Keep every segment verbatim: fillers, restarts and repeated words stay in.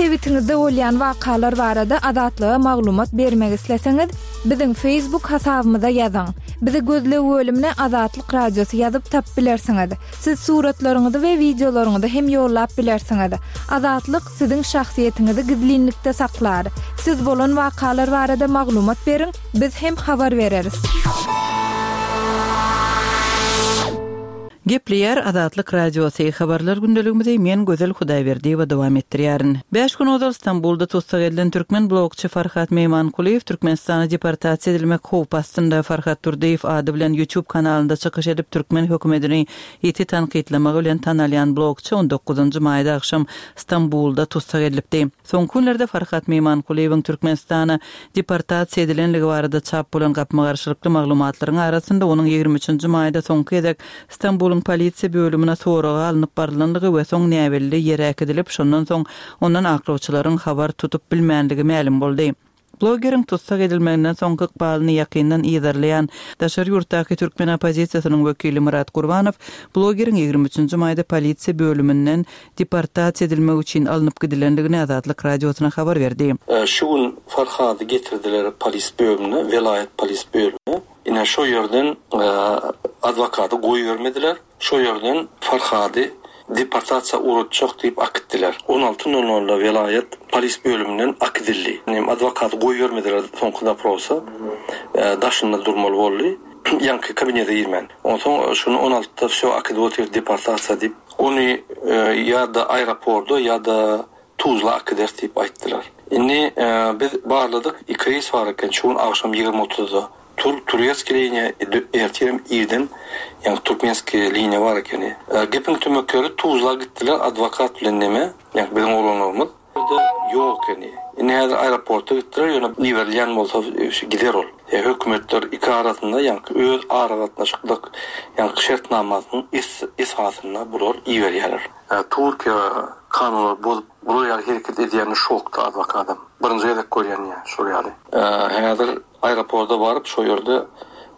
Sebitiňizde bolýan wakalar barada Azatlyga maglumat bermek isleseňiz, biziň Facebook hasabymyza ýazyň. Bizi gözleg bölümine Azatlyk Radiosy ýazyp tapyp bilersiňiz. Siz suratlaryňyzy we wideolaryňyzy hem ýollap bilersiňiz. Azatlyk siziň şahsyýetiňizi gizlinlikde saklar. Siz bolan wakalar barada maglumat beriň, biz hem habar bereris. Gepleýär Azatlyk Radiosy habarlar gündeligimizi men Gözel Hudaýberdiýewa dowam etdirýärin. Beş gün ozal Stambulda tussag edilen türkmen blogçy Farhat Meýmankulyýew Türkmenistana deportasiýa edilmek howpy astynda. Farhat Durdyýew ady bilen YouTube kanalynda çykyş edip türkmen hökümetini ýiti tankytlamagy bilen tanalýan blogçy on dokuzynjy maýda agşam Stambulda tussag edilipdi. Soňky günlerde Farhat Meýmankulyýewiň Türkmenistana deportasiýa edilenligi barada çap bolan gapma-garşylykly maglumatlaryň arasynda onuň ýigrimi üçünji maýda soňky gezek Stambulyň polisiýa bölümine soraga alnyp barylanlygy we soň näbelli ýere äkidilip, şondan soň ondan aklawçylaryň habar tutup bilmänligi mälim boldy. Blogeriň tussag edilmeginden soňky ykbalyny ýakyndan yzarlaýan daşary ýurtdaky türkmen oppozisiýasynyň wekili Murat Gurbanow blogeriň ýigrimi üçünji maýda polisiýa bölüminden deportasiýa edilmek üçin alnyp gidilenligini Azatlyk Radiosyna habar berdi. E, şu gün Farhady getirdiler polis bölümine, welaýat polis bölümine. Ine şu ýerden, e, adwokaty goýbermediler. Şu ýerden Farhady deportasiýa uğratjak diýip akitdiler. on alty nol nolda welaýat polis bölüminden akidildi. Nem adwokaty goýbermediler soňky daprosa. E, daşynda durmaly boldy. Ýaňky kabinete girmän. Onsoň şuny on altyda wsё akidip otyr deportasiýa diýip. Ony, e, ýa-da aeroportda ýa-da Tuzla akider diýip aýtdylar. Indi, e, biz barladyk, iki reýs bar eken şu gün agşam ýigrimi otuzda. Tur, turetski liniýa, ertirem irden, ýagny türkmenski liniýa bar ekeni. E, gepiň tümekleri Tuzla gitdiler adwokat bilen neme, ýagny biziň oglanlarymyz. Ýerde ýok ekeni. Indi häzir aeroporta gitdiler, ýöne iberilýän bolsa, e, şu gider ol. E, hökümetler iki arasynda, ýagny öz aragatnaşyklyk, ýagny şertnamasynyň es-, esasynda bular iberýärler. E, Türkiýe kanunlary bozup, bular ýaly hereket edýäni şokda adwokadam. Birinji gezek görýän ýa, şol ýaly. E, häzir aeroporta baryp, şo ýerde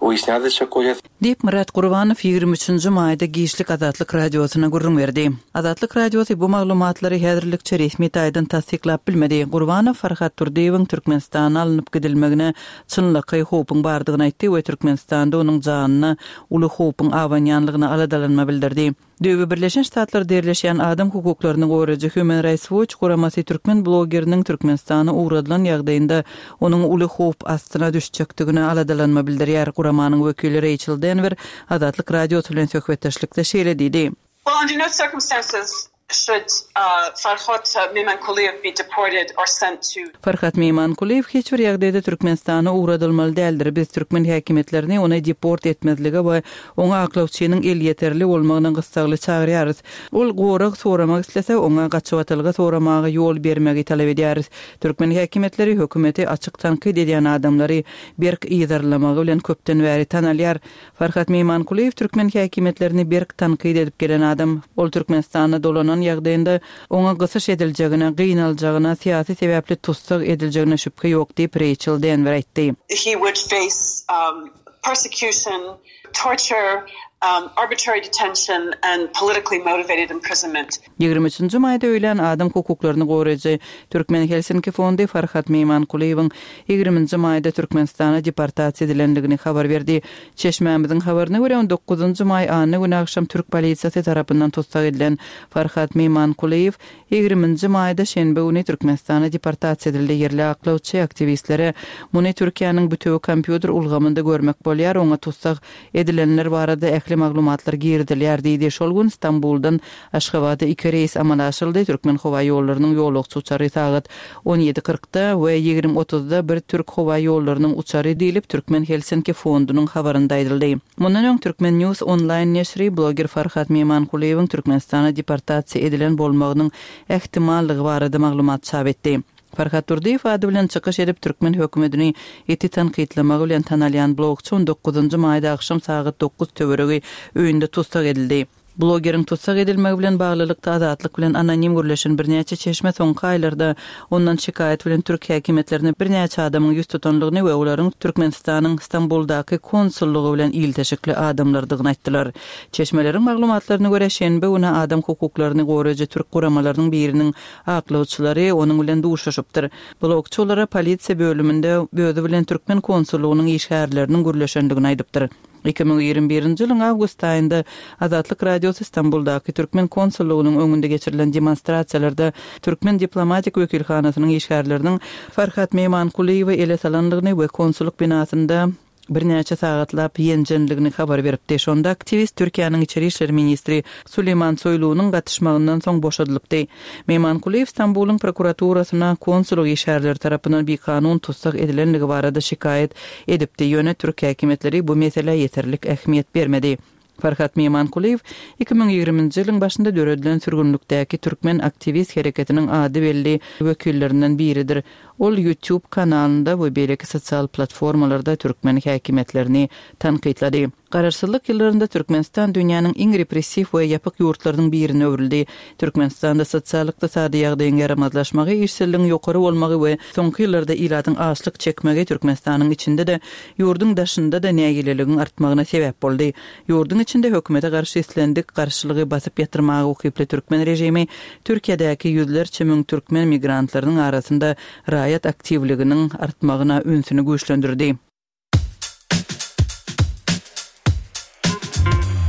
wyýasnýat etjek bolýar. Diýip Murat Gurbanow ýigrimi üçünji maýda giçlik Azatlyk Radiosyna gürrüň berdi. Azatlyk Radiosy bu maglumatlary häzirlikçe resmi taýdan tassyklap bilmedi. Gurbanow Farhat Durdyýewiň Türkmenistana alnyp gidilmegine çynlakaý howpuň bardygyny aýtdy we Türkmenistanda onuň janyna uly howpuň abanýanlygyna aladalanma bildirdi. Döwi Birleşen Ştatlar derleşen adam hukuklaryny goraýjy Human Rights Watch guramasy türkmen blogeriniň Türkmenistana ugradylan ýagdaýynda onuň uly howp astyna düşjekdigine aladalanma bildirýär. Guramanyň wekili Rachel Denver Azatlyk Radiosy bilen söhbetdeşlikde şeýle diýdi. Well, under no circumstances should, uh, Farhad Mehmankuliyev be deported or sent to Farhad Mehmankuliyev hiç bir ýagdaýda Türkmenistana ugradylmaly däldir. Biz türkmen häkimiýetlerini ony deport etmezlige we oňa aklawçynyň elýeterli bolmagyna gyssagly çagyrýarys. Ol gorag soramak islese, oňa gaçybatalga soramaga ýol bermegi talap edýäris. Türkmen häkimiýetleri hökümeti açyk tankyt edýän adamlary berk yzarlamagy bilen köpden bäri tanalýar. Farhad Mehmankuliyev türkmen häkimiýetlerini berk tankyt edip gelen adam. Ol Türkmenistana dolanan ýagdaýynda oňa gysyş ediljegine, gynaljagyna, syýasy sebäpli tussag ediljegine şübhe ýok diýip Rachel Denver aýtdy. He would face, um, persecution, torture, um, arbitrary detention and politically motivated imprisonment. Ýigrimi üçünji maýda öýlän adam hukuklaryny goraýjy Türkmen Helsinki Fondy Farhad Mehmankuliyewiň ýigriminji maýda Türkmenistana deportasiýa edilenligini habar berdi. Çeşmämiziň habaryna görä on dokuzynjy maý anna güni agşam Türk polisiýasy tarapyndan tussag edilen Farhad Mehmankuliyew ýigriminji maýda şenbe güni Türkmenistana deportasiýa edildi. Ýerli aklawçy aktiwistlere muny Türkiýäniň bütewi kompýuter ulgamynda görmek bolýar, oňa tussag edilenler barada ähli maglumatlar girizilýär diýdi. Şol gün Stambuldan Aşgabada iki reýs amala aşyryldy. Türkmen howa ýollarynyň ýolagçy uçary sagat on ýedi kyrkda we ýigrimi otuzda bir Türk howa ýollarynyň uçary diýlip Türkmen Helsinki Fondunyň habarynda aýdyldy. Mundan öň Türkmen News onlaýn neşri bloger Farhad Mehmankuliyewiň Türkmenistana deportasiýa edilen bolmagynyň ähtimallygy barada maglumat çap etdi. Farhad Durdyýew ady bilen çykyş edip türkmen hökümetini eti tankytlamagy bilen tanalýan blogçy on dokuzynjy maýda agşam sagat dokuz töweregi öýünde tussag edildi. Blogeriň tussag edilmegi bilen baglylykda Azatlyk bilen anonim gürleşen birnäçe çeşme soňky aýlarda ondan şikaýat bilen türk häkimiýetlerine birnäçe adamyň ýüz tutanlygyny we olaryň Türkmenistanyň Stambuldaky konsullygy bilen ilteşikli adamlardygyny aýtdylar. Çeşmeleriň maglumatlaryna görä, şenbe güni adam hukuklaryny goraýjy türk guramalarynyň biriniň aklawçylary onuň bilen duşuşypdyr. Blogçy olara polisiýa bölüminde özi bilen türkmen konsullygynyň işgärleriniň gürleşendigini aýdypdyr. Iki müň ýigrimi birinji ýylyň awgust aýynda Azatlyk Radiosy Stambuldaky türkmen konsullygynyň öňünde geçirilen demonstrasiýalarda türkmen diplomatik wekilhanasynyň işgärleriniň Farhat Meýmankulyýewi ele salandygyny we konsullyk binasynda birnäçe sagatlap ýenjenligini habar beripdi. Şonda aktiwist Türkiýäniň içeri işler ministri Suleýman Soýlunyň gatyşmagyndan soň boşadylypdy. Meýmankulyýew Stambulyň prokuraturasyna konsullyk işgärleri tarapyndan bikanun tussag edilenligi barada şikaýat edipdi, ýöne türk häkimiýetleri bu meselä ýeterlik ähmiýet bermedi. Farhat Meýmankulyýew iki müň ýigriminji ýylyň başynda döredilen sürgünlikdäki türkmen aktiwist hereketiniň ady belli wekillerinden biridir. Ol YouTube kanalynda we beýleki sosial platformalarda türkmen häkimiýetlerini tankytlady. Garaşsyzlyk ýyllarynda Türkmenistan dünýäniň iň repressiw we ýapyk ýurtlarynyň birine öwrüldi. Türkmenistanda sosial-ykdysady ýagdaýyň ýaramazlaşmagy, işsizligiň ýokary bolmagy we soňky ýyllarda ilatyň açlyk çekmegi Türkmenistanyň içinde-de, ýurduň daşynda-da nägileligiň artmagyna sebäp boldy. Ýurduň içinde hökümete garşy islendik garşylygy basyp ýatyrmaga ukyply türkmen režimi Türkiýedäki ýüzlerçe müň türkmen migrantlarynyň arasynda raýat aktiwliginiň artmagyna ünsüni güýçlendirdi.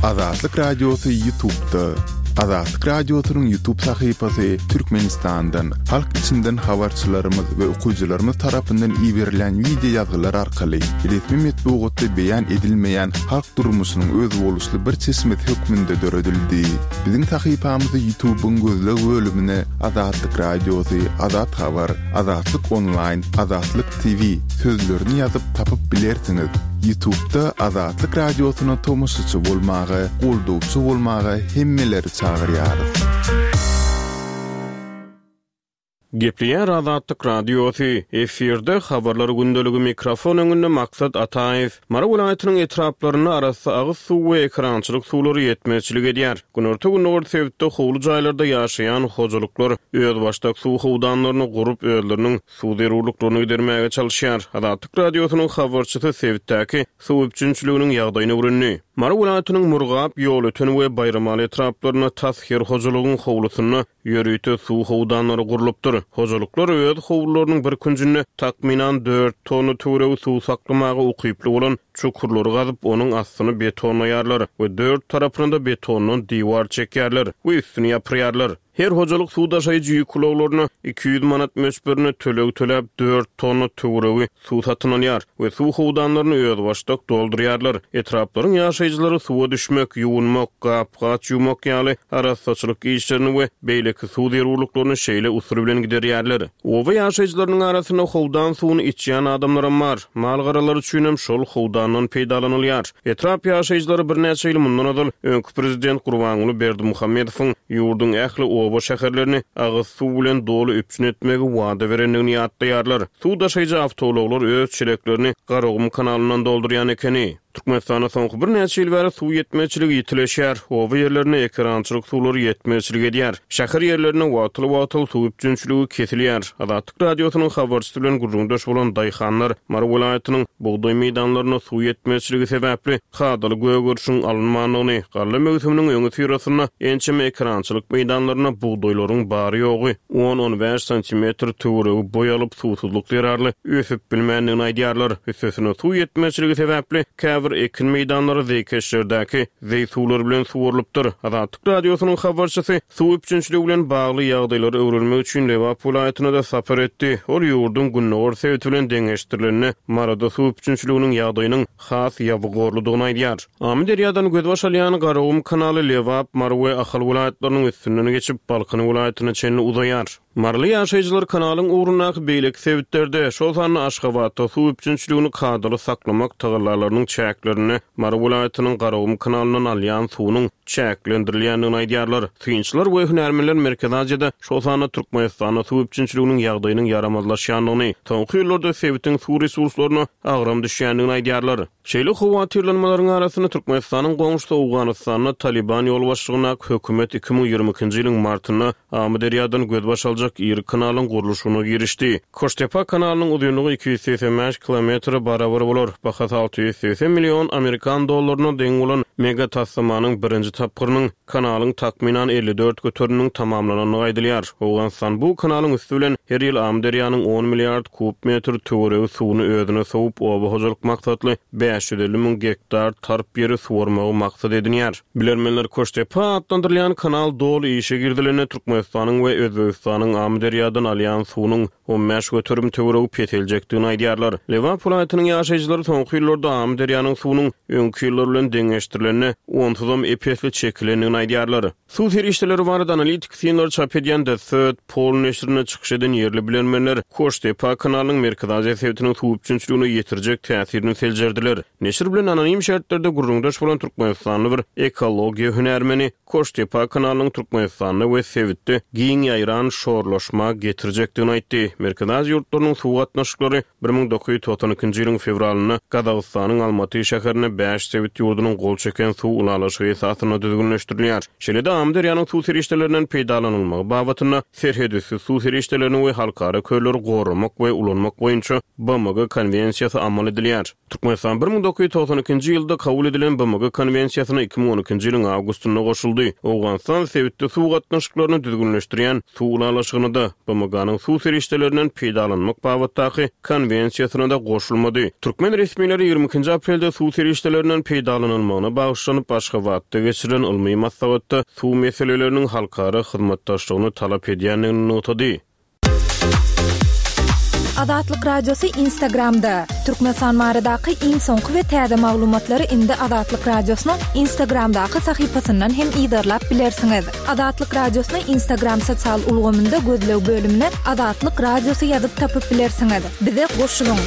Azatlyk Radiosy YouTube'da. Azatlyk Radiosynyň YouTube sahypasy Türkmenistandan, halk içinden habarçylarymyz we okyjylarymyz tarapyndan iberilen wideo ýazgylar arkaly resmi metbugatda beýan edilmeýän halk durmuşynyň özboluşly bir çeşmesi hökmünde döredildi. Biziň sahypamyzy YouTube'yň gözleg bölümine Azatlyk Radiosy, Azat Habar, Azatlyk Online, Azatlyk T V sözlerini ýazyp tapyp bilersiňiz. YouTube'da Azatlyk Radiosyna tomaşaçy bolmaga, goldawçy bolmaga hemmeleri çagyrýarys. Gepleýär Azatlyk Radiosy, efirde habarlar gündeligi mikrofon öňünde Maksat Ataýew. Mary welaýatynyň etraplarynda arassa agyz suw we ekrançylyk suwlary ýetmezçilik edýär. Günorta gündogar sebitde howly jaýlarda ýaşaýan hojalyklar özbaşdak suw howdanlaryny gurup özleriniň suw zerurlyklaryny gidermäge çalışýar. Azatlyk Radiosynyň habarçysy sebitdäki suw üpjünçiliginiň ýagdaýyny öwrendi. Mary welaýatynyň Murgap, Ýolöten we Baýramaly etraplarynda tas her hojalygyň howlusynda ýörite suw howdanlary gurlupdyr. Hojalyklar öz howlularynyň bir künjünde takmynan dört tonna töweregi suw saklamaga ukyply bolan çukurlary gazyp, onuň astyny betonlaýarlar we dört tarapyna da betondan diwar çekýärler we üstüni ýapyrýarlar. Her hojalyk suw daşaýjy ýük ulaglaryna iki ýüz manat möçberine töleg töläp dört tonna töweregi suw satyn alýar we suw howdanlaryny özbaşdak doldurýarlar. Etraplaryň ýaşaýjylary suwa düşmek, ýuwunmak, gap-gaç ýuwmak ýaly arassaçylyk işlerini we beýleki suw zerurlyklaryny şeýle usul bilen giderýärler. Oba ýaşaýjylarynyň arasynda howdan suwuny içýän adamlaram bar. Mal-garalar üçin hem şol howdandan peýdalanylýar. Etrap ýaşaýjylary birnäçe ýyl mundan ozal öňki prezident Gurbanguly Berdimuhamedowyň ýurduň ähli oba şäherlerini agyz suw bilen doly üpjün etmegi wada berendigini ýatlaýarlar. Suw daşaýjy awtoulaglar öz çeleklerini Garagum kanalyndan doldurýan ekeni. Türkmenistanda soňky birnäçe ýyl bäri suw ýetmezçiligi ýitileşýär. Oba ýerlerinde ekerançylyk suwlary ýetmezçilik edýär. Şäher ýerlerinde wagtyl-wagtyl suw üpjünçiligi kesilýär. Azatlyk Radiosynyň habarçysy bilen gürrüňdeş bolan daýhanlar Mary welaýatynyň bugdaý meýdanlarynda suw ýetmezçiligi sebäpli kadaly gögerişiň alynmandygyny, galla möwsüminiň öňi syrasynda ençeme ekerançylyk meýdanlarynda bugdaýlaryň bary ýogy on-on bäş santimetr töweregi boý alyp suwsuzlyk zerarly ösüp bilmändigini aýdýarlar. Üstesine suw ýetmezçiligi sebäpli käbir ekin meýdanlary zeýkeşlerdäki zeý suwlary bilen suwarylypdyr. Azatlyk Radiosynyň habarçysy suw üpjünçiligi bilen bagly ýagdaýlary öwrenmek üçin Lebap welaýatyna da sapar etdi. Ol ýurduň gündogar sebiti bilen deňeşdirilende Maryda suw üpjünçiliginiň ýagdaýynyň has ýabygorludygyny aýdýar. Amyderýadan gözbaş alýan Garagum kanaly Lebap, Mary we Ahal welaýatlarynyň üstünden geçip Balkan welaýatyna çenli uzaýar. Maryly ýaşaýjylar kanalyň ugrundaky beýleki sebitlerde, şol sanda Aşgabatda suw üpjünçiligini kadaly saklamak tagallalarynyň çäklerinde Mary welaýatynyň Garagum kanalyndan alýan suwunyň çäklendirilýändigini aýdýarlar. Synçylar we hünärmenler Merkezi Aziýada, şol sanda Türkmenistanda suw üpjünçiliginiň ýagdaýynyň ýaramazlaşýandygyny, soňky ýyllarda sebitiň suw resurslaryna agram düşýändigini aýdýarlar. Şeýle howatyrlanmalaryň arasynda Türkmenistanyň goňşusy Owganystanda Taliban ýolbaşçylygyndaky hökümet iki müň ýigrimi ikinji ýylyň martynda Amyderýadan gözbaş aljak iri kanalyň gurluşygyna girişdi. Koştepa kanalynyň uzynlygy iki ýüz segsen bäş kilometre barabar bolar. Bahasy alty ýüz segsen million amerikan dollaryna deň bolan mega taslamanyň birinji tapgyrynyň kanalyň takmynan elli dört göteriminiň tamamlanandygy aýdylýar. Owganystan bu kanalyň üsti bilen her ýyl Amyderýanyň on milliard kub metr töweregi suwuny özüne sowup, oba hojalyk maksatly bäş ýüz elli müň gektar tarp ýeri suwarmagy maksat edinýär. Bilermenler Koştepa atlandyrylýan kanal doly işe girizilende Türkmenistanyň we Özbegistanyň Amyderýadan alýan suwunyň on bäş göterim töweregi peseljekdigini aýdýarlar. Lebap welaýatynyň ýaşaýjylary soňky ýyllarda Amyderýanyň suwunyň öňki ýyllar bilen deňeşdirilende onsuzam ep-esli çekilendigini aýdýarlar. Suw serişdeleri barada analitik synlar çap edýän The Third Pole neşirinde çykyş eden ýerli bilermenler Koştepa kanalynyň Merkezi Aziýa sebitiniň suw üpjünçiligine ýetirjek täsirini seljerdiler. Neşir bilen anonim şertlerde gürrüňdeş bolan Türkmenistanly bir ekologiýa hünärmeni Koştepa kanalynyň Türkmenistanda we sebitde giň ýaýran şorlaşma getirjekdigini aýtdy. Merkezi Aziýa ýurtlarynyň suw gatnaşyklary bir müň dokuz ýüz togsan ikinji ýylyň fewralynda Gazagystanyň Almaty şäherinde bäş sebit ýurdunyň gol çeken suw ylalaşygy esasynda düzgünleşdirilýär. Şeýle-de Amyderýanyň suw serişdelerinden peýdalanylmagy babatynda serhedüsti suw serişdelerini we halkara kölleri goramak we ulanmak boýunça B M G konwensiýasy amal edilýär. Türkmenistan bir müň dokuz ýüz togsan ikinji ýylda kabul edilen B M G konwensiýasyna iki müň on ikinji ýylyň awgustynda goşuldy. Owganystan sebitde suw gatnaşyklaryny düzgünleşdirýän suw ylalaşygyny-da B M G-nyň suw serişdelerinden peýdalanmak babatdaky konwensiýasyna-da goşulmady. Türkmen resmileri ýigrimi ikinji aprelde suw serişdelerinden peýdalanylmagyna bagyşlanyp Aşgabatda geçirilen ylmy maslahatda suw meseleleriniň halkara hyzmatdaşlygyny talap edýändigini nygtady. Azatlyk Radiosy Instagramda. Türkmenistan baradaky iň soňky we täze maglumatlary indi Azatlyk Radiosynyň Instagramdaky sahypasyndan hem yzarlap bilersiňiz. Azatlyk Radiosyny Instagram sosial ulgamynda gözleg bölümine Azatlyk Radiosy ýazyp tapyp bilersiňiz. Bize goşulyň.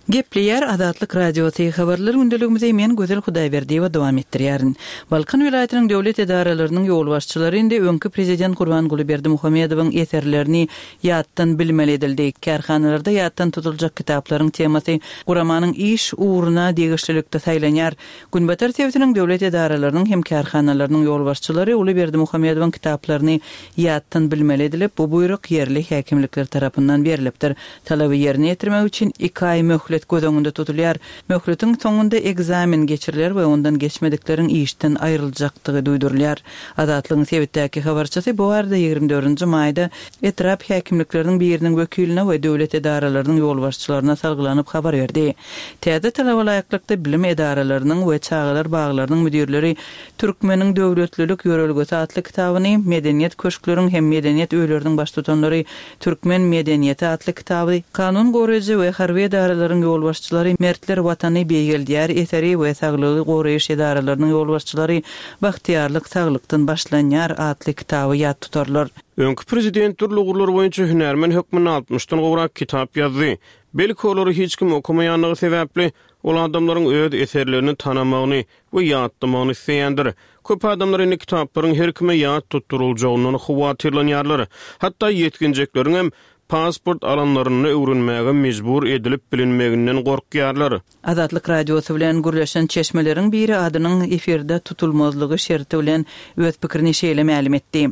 Gepleýär Azatlyk Radiosy habarlar gündeligimizi men Gözel Hudaýberdiýewa dowam etdirýärin. Balkan welaýatynyň döwlet edaralarynyň ýolbaşçylary indi öňki prezident Gurbanguly Berdimuhamedowyň eserlerini ýatdan bilmeli edildi. Kärhanalarda ýatdan tutuljak kitaplaryň temasy guramanyň iş ugruna degişlilikde saýlanýar. Günbatar sebitiniň döwlet edaralarynyň hem kärhanalarynyň ýolbaşçylary Uly Berdimuhamedowyň kitaplaryny ýatdan bilmeli edilip, bu buýruk ýerli häkimlikler tarapyndan berilipdir. Talaby ýerine ýetirmek üçin iki aý möhlet göz öňünde tutulýar. Möhletiň soňunda ekzamen geçiriler we ondan geçmedikleriň işden aýryljakdygy duýdurylýar. Azatlygyň sebitdäki habarçysy bu arada ýigrimi dördünji maýda etrap häkimlikleriniň biriniň wekiline we döwlet edaralarynyň ýolbaşçylaryna salgylanyp habar berdi. Täze talaba laýyklykda bilim edaralarynyň we çagalar baglarynyň müdirleri Türkmeniň döwletlilik ýörelgesi atly kitabyny, medeniýet köşkleriň hem medeniýet öýleriniň baştutanlary Türkmen medeniýeti atly kitaby, kanun goraýjy we harby edaralaryň ýolbaşçylary Mertler Watany beýgeldýär eseri we saglygy goraýyş edaralarynyň ýolbaşçylary Bagtyýarlyk saglykdan başlanýar atly kitaby ýat tutarlar. Öňki prezident dürli ugurlar boýunça hünärmen hökmünde altmyşdan gowrak kitap ýazdy. Belki olary hiç kim okamaýanlygy sebäpli ol adamlaryň öz eserlerini tanamagyny we ýatlamagyny isleýändir. Köp adamlar indi kitaplaryň her kime ýat tutduruljagyndan howatyrlanýarlar. Hatda ýetginjekleriň hem pasport alanlaryny öwrenmäge mejbur edilip bilinmeginden gorkýarlar. Azatlyk Radiosy bilen gürleşen çeşmeleriň biri adynyň efirde tutulmazlygy şerti bilen öz pikirini şeýle mälim etdi.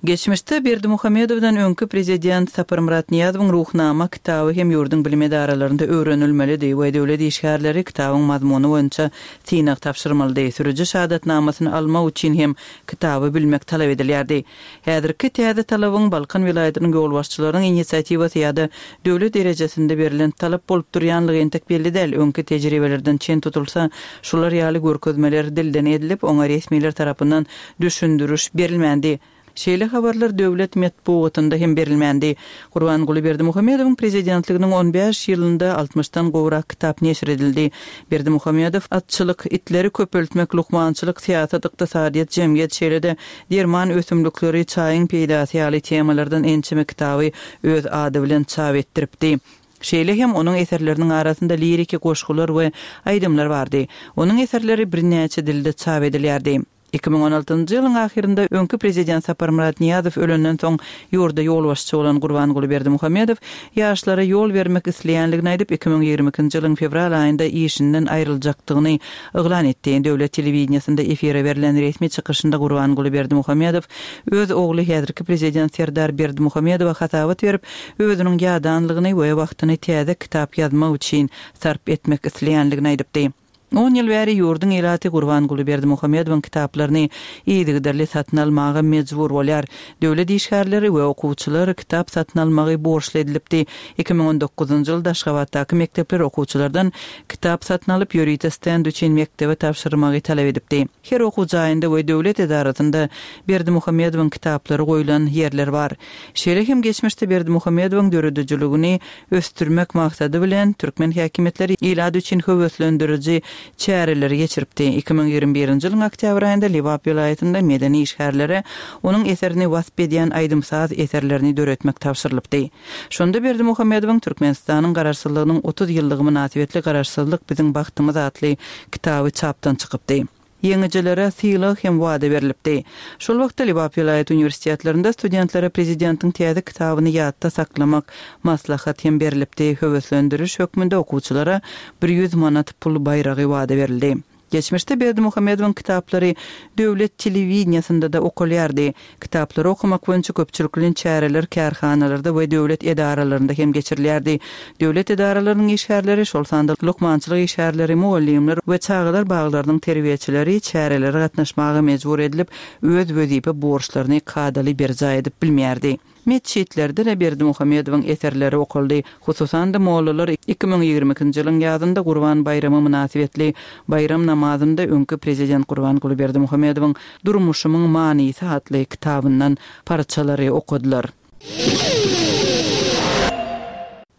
Geçmişde Berdimuhamedowdan öňki prezident Saparmyrat Nyýazowyň Ruhnama kitaby hem ýurduň bilim edaralarynda öwrenilmelidi we döwlet işgärleri kitabyň mazmuny boýunça synag tabşyrmalydy. Sürüji şahadatnamasyny almak üçin hem kitaby bilmek talap edilýärdi. Häzirki täze talabyň Balkan welaýatynyň ýolbaşçylarynyň inisiatiwasy ýa-da döwlet derejesinde berlen talap bolup durýanlygy entek belli däl. Öňki tejribelerden çen tutulsa, şular ýaly görkezmeler dilden edilip, oňa resmiler tarapyndan düşündiriş berilmändi. Şeýle habarlar döwlet metbugatynda hem berilmändi. Gurbanguly Berdimuhamedowyň prezidentliginiň on bäş ýylynda altmyşdan gowrak kitap neşir edildi. Berdimuhamedow atçylyk, itleri köpeltmek, lukmançylyk, syýasat, ykdysadyýet, jemgyýet, şeýle-de derman ösümlikleri, çaýyň peýdasy ýaly temalardan ençeme kitaby öz ady bilen çap etdiripdi. Şeýle hem onuň eserleriniň arasynda liriki goşgular we aýdymlar bardy. Onuň eserleri birnäçe dilde çap edilýärdi. Iki müň on altynjy ýylyň ahyrynda öňki prezident Saparmyrat Nyýazow ölenden soň ýurda ýolbaşçy bolan Gurbanguly Berdimuhamedow ýaşlara ýol bermek isleýänligini aýdyp, iki müň ýigrimi ikinji ýylyň fewral aýynda işinden aýryljakdygyny yglan etdi. Döwlet telewideniýesinde efire berlen resmi çykyşynda Gurbanguly Berdimuhamedow öz ogly häzirki prezident Serdar Berdimuhamedowa hasabat berip, özüniň ýadanlygyny we wagtyny täze kitap ýazmak üçin sarp etmek isleýänligini aýdypdy. On ýyl bäri ýurduň ilaty Gurbanguly Berdimuhamedowyň kitaplaryny yzygiderli satyn almaga mejbur bolýar. Döwlet işgärleri we okuwçylar kitap satyn almagy borçly edilipdi. Iki müň on dokuzynjy ýylda Aşgabatdaky mekdepler okuwçylardan kitap satyn alyp, ýörite stend üçin mekdebe tabşyrmagy talap edipdi. Her okuw jaýynda we döwlet edarasynda Berdimuhamedowyň kitaplary goýlan ýerler bar. Şeýle hem geçmişde Berdimuhamedowyň döredijiligini ösdürmek maksady bilen türkmen häkimiýetleri ilat üçin höweslendiriji çäreleri geçiripdi. Iki müň ýigrimi birinji ýylyň oktýabr aýynda Lebap welaýatynda medeni işgärlere onuň eserini wasp edýän aýdym-saz eserlerini döretmek tabşyrylypdy. Şonda Berdimuhamedowyň Türkmenistanyň Garaşsyzlygynyň otuz ýyllygy mynasybetli Garaşsyzlyk biziň bagtymyz atly kitaby çapdan çykypdy. Ýeňijilere sylag hem wada berlipdi. Şol wagtda Lebap welaýat uniwersitetlerinde studentlere prezidentiň täze kitabyny ýatda saklamak maslahat hem berlipdi. Höweslendiriş hökmünde okuwçylara bir ýüz manat pul baýragy wada berildi. Geçmişde Berdimuhamedowyň kitaplary döwlet telewideniýesinde-de okalýardy. Kitaplary okamak boýunça köpçülikleýin çäreler kärhanalarda we döwlet edaralarynda hem geçirilýärdi. Döwlet edaralarynyň işgärleri, şol sanda lukmançylyk işgärleri, mugallymlar we çagalar baglarynyň terbiýeçileri çärelere gatnaşmaga mejbur edilip, öz wezipe borçlaryny kadaly berjaý edip bilmeýärdi. Metjitlerde-de Berdimuhamedowyň eserleri okaldy. Hususan-da, mollalar iki müň ýigrimi ikinji ýylyň ýazynda Gurban baýramy mynasybetli baýram namazynda öňki prezident Gurbanguly Berdimuhamedowyň Durmuşymyň manysy atly kitabyndan parçalary okadylar.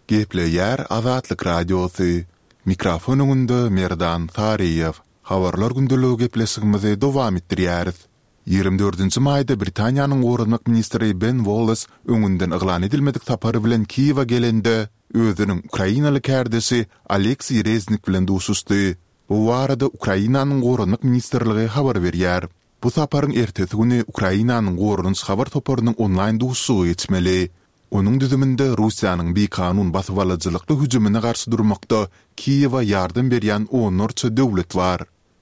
Gepleýär Azatlyk Radiosy. Mikrofon öňünde Merdan Saryýew. Habarlar gündeligi gepleşigimizi dowam etdirýäris. Ýigrimi dördünji maýda Britaniýanyň goranmak ministri Ben Wallace öňünden yglan edilmedik sapary bilen Kiýewe gelende, özüniň ukrainaly kärdeşi Oleksiý Reznik bilen duşuşdy. Bu barada Ukrainanyň Goranmak ministrligi habar berýär. Bu saparyň ertesi güni Ukrainanyň Goranyş habar toparynyň onlaýn duşuşygy geçmeli. Onuň düzüminde Russiýanyň bikanun basybalyjylykly hüjümine garşy durmakda Kiýewe ýardam berýän onlarça döwlet bar.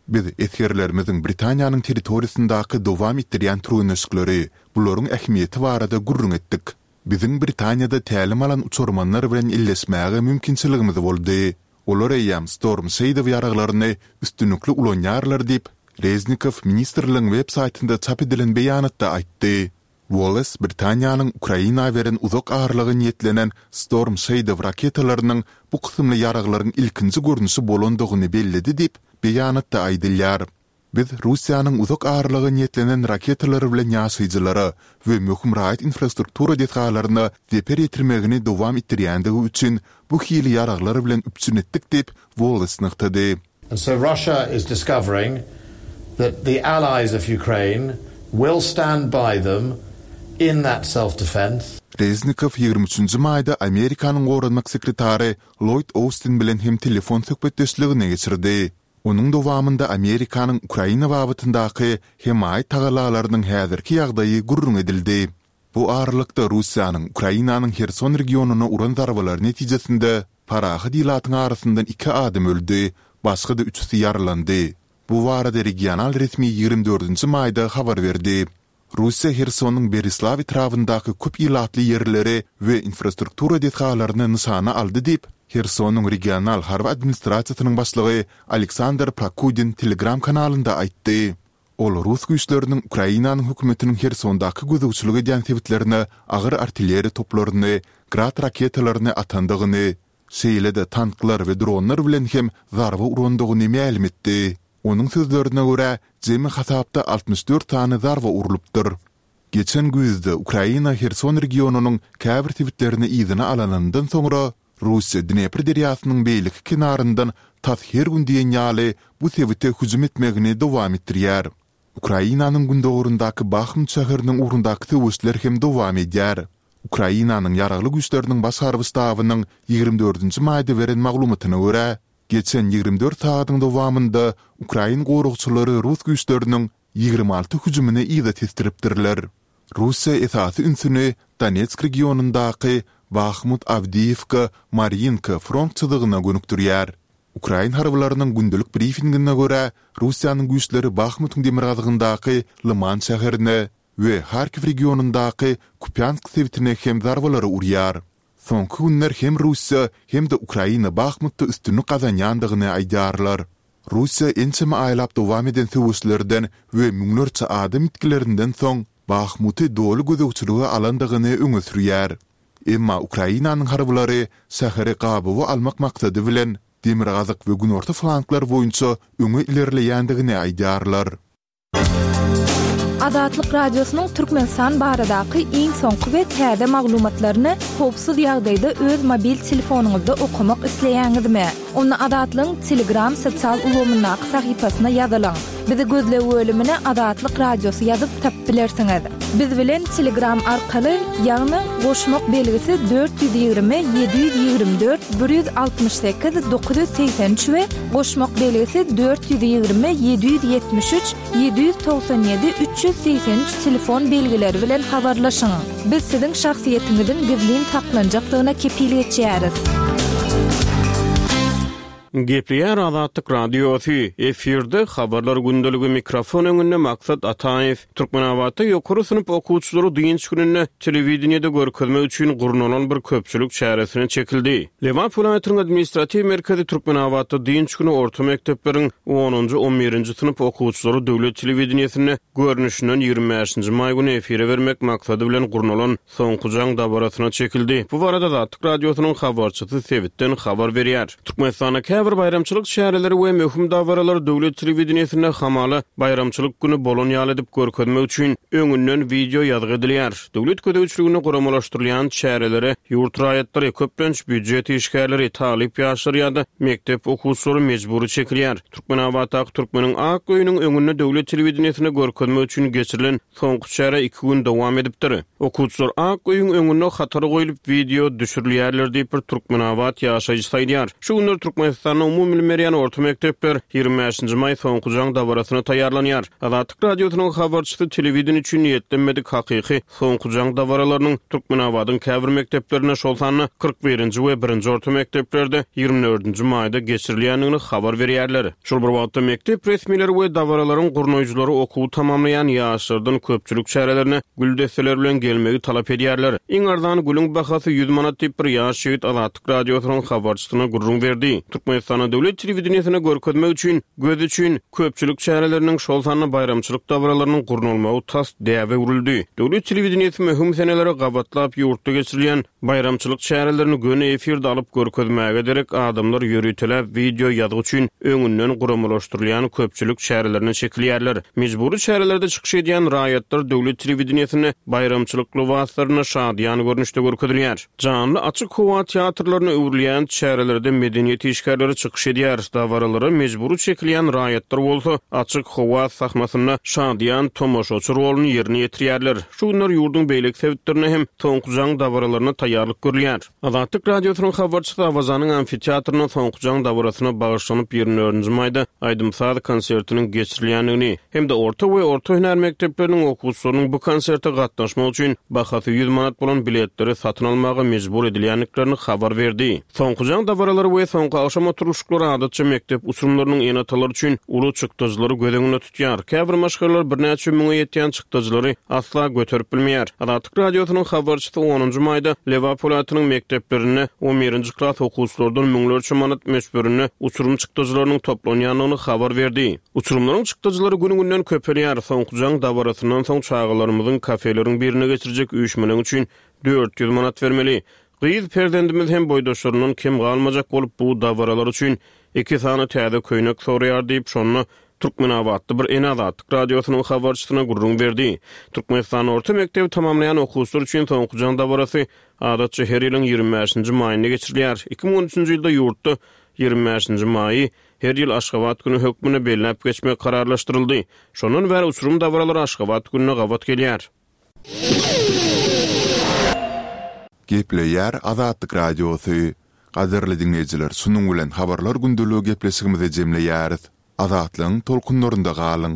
Biz esgerlerimiziň Britaniýanyň territoriýasyndaky dowam etdirýän türgenleşikleri, bularyň ähmiýeti barada gürrüň etdik. Biziň Britaniýada tälim alan uçarmanlar bilen elleşmäge mümkinçiligimiz boldy. Olar eýýäm Storm Shadow ýaraglaryny üstünlikli ulanýarlar diýip, Reznikow ministrligiň web saýtynda çap edilen beýanatda aýtdy. Wallace Britaniýanyň Ukraina beren uzak aralyga niýetlenen Storm Shadow raketalarynyň bu kysymly ýaraglaryň ilkinji görnüşi bolandygyny belledi diýip, beýanatda aýdylýar. Biz Russiýanyň uzak aralyga niýetlenen raketalary bilen ýaşaýjylara we möhüm raýat infrastruktura desgalaryna zeper ýetirmegini dowam etdirýändigi üçin bu hili ýaraglar bilen üpjün etdik diýip, Wallace nygtady. And so Russia is discovering that the allies of Ukraine will stand by them in that self-defense. Reznikow ýigrimi üçünji maýda Amerikanyň goranmak sekretary Lloýd Austin bilen hem telefon söhbetdeşligini geçirdi. Onuň dowamynda Amerikanyň Ukraina babatyndaky hemaýat tagallalarynyň häzirki ýagdaýy gürrüň edildi. Bu aralykda, Russiýanyň Ukrainanyň Herson regionyna uran zarbalary netijesinde parahat ilatyň arasyndan iki adam öldi, başga-da üçüsi ýaralandy. Bu barada regional resmi ýigrimi dördünji maýda habar berdi. Russiýa Hersonyň Berislaw etrabyndaky köp ilatly ýerleri we infrastruktura desgalaryny nyşana aldy diýip, Hersonyň regional harby administrasiýasynyň başlygy Aleksandr Prokudin Telegram kanalynda aýtdy. Ol rus güýçleriniň Ukrainanyň hökümetiniň Hersondaky gözegçilik edýän sebitlerine agyr artilleriýa toplaryny, Grad raketalaryny atandygyny, şeýle-de tanklar we dronlar bilen hem zarba urandygyny mälim etdi. Onuň sözlerine görä, jemi hasapda altmyş dört sany zarba urlupdyr. Geçen güýzde Ukraina Herson regionynyň käbir sebitlerini yzyna alanyndan soňra, Russiýa Dnepr derýasynyň beýleki kenaryndan tas her gün diýen ýaly bu sebite hüjüm etmegini dowam etdirýär. Ukrainanyň gündogaryndaky Bahmut şäheriniň ugrundaky söweşler hem dowam edýär. Ukrainanyň Ýaragly Güýçleriniň Baş harby ştabynyň ýigrimi dördünji maýda beren maglumatyna görä, geçen ýigrimi dört sagadyň dowamynda ukrain goragçylary rus güýçleriniň ýigrimi alty hüjümini yza tesdiripdirler. Russiýa esasy ünsüni Donetsk regionyndaky Bahmut-Awdiýewka, Marýinka front çyzygyna gönükdirýär. Ukrain harbylarynyň gündelik brifingine görä, Russiýanyň güýçleri Bahmutyň demirgazygyndaky Lyman şäherine we Harkiw regionyndaky Kupýansk sebitine hem zarbalary urýar. Soňky günler hem Russiýa, hem-de Ukraina Bahmutda üstünlik gazanýandygyny aýdýarlar. Russiýa ençeme aýlap dowam eden söweşlerden we müňlerçe adam ýitgilerinden soň Bahmuty doly gözegçilige alandygyny öňe sürýär. Emma Ukrainanyň harbylary şäheri gabawa almak maksady bilen demirgazyk we günorta flanglar boýunça öňe ilerleýändigini aýdýarlar. Azatlyk Radiosynyň Türkmenistan baradaky iň soňky we täze maglumatlaryny howpsuz ýagdaýda öz mobil telefonyňyzda okamak isleýäňizmi? Onda Azatlygyň Telegram sosial ulgamyndaky sahypasyna ýazylyň. Bizi gözleg bölümine Azatlyk Radiosy ýazyp tapyp bilersiňiz. Biz bilen Telegram arkaly, ýagny goşmak belgisi dört ýüz ýigrimi ýedi ýüz ýigrimi dört bir ýüz altmyş sekiz dokuz ýüz segsen üç we goşmak belgisi dört ýüz ýigrimi ýedi ýüz ýetmiş üç ýedi ýüz togsan ýedi üç ýüz segsen üç telefon belgileri bilen habarlaşyň. Biz siziň şahsyýetiňiziň gizlin saklanjakdygyna kepil geçýäris. Gepleýär Azatlyk Radiosy, efirde Habarlar gündeligi, mikrofon öňünde Maksat Ataýew. Türkmenabatda ýokary synp okuwçylary dynç gününde telewideniýede görkezmek üçin gurnalan bir köpçülik çäresine çekildi. Lebap welaýatynyň administratiw merkezi Türkmenabatda dynç güni orta mekdepleriň onunjy, on birinji synp okuwçylary döwlet telewideniýesinde görnüşinden ýigrimi bäşinji maý güni efire bermek maksady bilen gurnalan Soňky jaň dabarasyna çekildi. Bu barada Azatlyk Radiosynyň habarçysy sebitden habar berýär. Türkmenistanda käbir baýramçylyk çäreleri we möhüm dabaralar döwlet telewideniýesinde hamala baýramçylyk güni bolan ýaly edip görkezmek üçin öňünden wideo ýazgy edilýär. Döwlet gözegçiliginde guramalaşdyrylýan çärelere ýurt raýatlary, köplenç býujet işgärleri, talyp ýaşlar ýa-da mekdep okuwçylary mejbury çekilýär. Türkmenabatdaky Türkmeniň Ak öýüniň öňünde döwlet telewideniýesinde görkezmek üçin geçirilen soňky çäre iki gün dowam edipdir. Okuwçylar Ak öýüň öňünde hatara goýlup wideo düşürilýärler diýip bir Türkmenabat ýaşaýjysy aýdýar. Şu günler Türkmenistanda umumy bilim berýän orta mekdepler ýigrimi bäşinji maý soňky jaň dabarasyna taýýarlanýar. Azatlyk Radiosynyň habarçysy telewideniýe üçin niýetlenmedik hakyky soňky jaň dabaralarynyň Türkmenabadyň käbir mekdeplerinde, şol sanda kyrk birinji we birinji orta mekdeplerde ýigrimi dördünji maýda geçirilýändigini habar berýärler. Şol bir wagtda mekdep resmileri we dabaralaryň gurnaýjylary okuwy tamamlaýan ýaşlardan köpçülik çärelerine gül desseleri bilen gelmegi talap edýärler. Iň arzan gülüň bahasy ýüz manat diýip bir ýaş ýigit Azatlyk Radiosynyň habarçysyna gürrüň berdi. Türkmenistanda döwlet telewideniýesine görkezmek üçin, göz üçin köpçülik çäreleriniň, şol sanda baýramçylyk dabaralarynyň gurnalmagy tas däbe öwrüldi. Döwlet telewideniýesi möhüm senelere gabatlap ýurtda geçirilýän baýramçylyk çärelerini göni efirde alyp görkezmäge derek adamlar ýöriteläp wideo ýazgy üçin öňünden guramalaşdyrylýan köpçülik çärelerine çekilýärler. Mejbury çärelerde çykyş edýän raýatlar döwlet telewideniýesinde baýramçylyk lybaslarynda şadyýan görnüşde görkezilýär. Janly açyk howa teatrlaryna öwrülýän çärelerde medeniýet işgärleri çykyş edýär. Dabaralara mejbury çekilýän raýatlar bolsa açyk howa sahnasynda şadyýan tomaşaçy roluny ýerine ýetirýärler. Şu günler ýurduň beýleki sebitlerinde hem soňky jaň dabaralaryna taýýarlyk görülýär. Azatlyk Radiosynyň habarçysy Awazanyň amfiteatrynda soňky jaň dabarasyna bagyşlanyp ýigrimi dördünji maýda aýdym-saz konsertiniň geçirilýändigini hem-de orta we orta hünär mekdepleriniň okuwçylarynyň bu konserte gatnaşmak üçin bahasy ýüz manat bolan biletleri satyn almaga mejbur edilýändiklerini habar berdi. Soňky jaň dabaralary we soňky agşam oturylyşyklary adatça mekdep uçurymlarynyň ene-atalary üçin uly çykdajylary göz öňünde tutýar. Käbir maşgalalar birnäçe müňe ýetýän çykdajylary asla göterip bilmeýär. Azatlyk Radiosynyň habarçysy onunjy maýda Lebap welaýatynyň mekdeplerinde on birinji klas okuwçylardan müňlerçe manat möçberinde uçurym çykdajylarynyň toplanýandygyny habar berdi. Uçurymlaryň çykdajylary gün-günden köpelýär. Soňky jaň dabarasyndan soň çagalarymyzyň kafeleriň birine geçirjek üýşmeleň üçin dört ýüz manat bermeli. Gyz perzendimiz hem boýdaşlaryndan kem galmajak bolup bu dabaralar üçin iki sany täze köýnek soraýar diýip, şonda Türkmenabatly bir ene Azatlyk Radiosynyň habarçysyna gürrüň berdi. Türkmenistanda orta mekdebi tamamlaýan okuwçylar üçin soňky jaň dabarasy adatça her ýylyň ýigrimi bäşinji maýynda geçirilýär. Iki müň on üçünji ýylda ýurtda ýigrimi bäşinji maýy her ýyl Aşgabat güni hökmünde belläp geçmek kararlaşdyryldy. Şondan bäri uçurum dabaralary Aşgabat gününe gabat gelýär. Gepleýär Azatlyk Radiosy. Gadyrly diňleýjiler, şunuň bilen habarlar gündeligi gepleşigimizi jemleýäris. Azatlygyň tolkunlarynda galyň.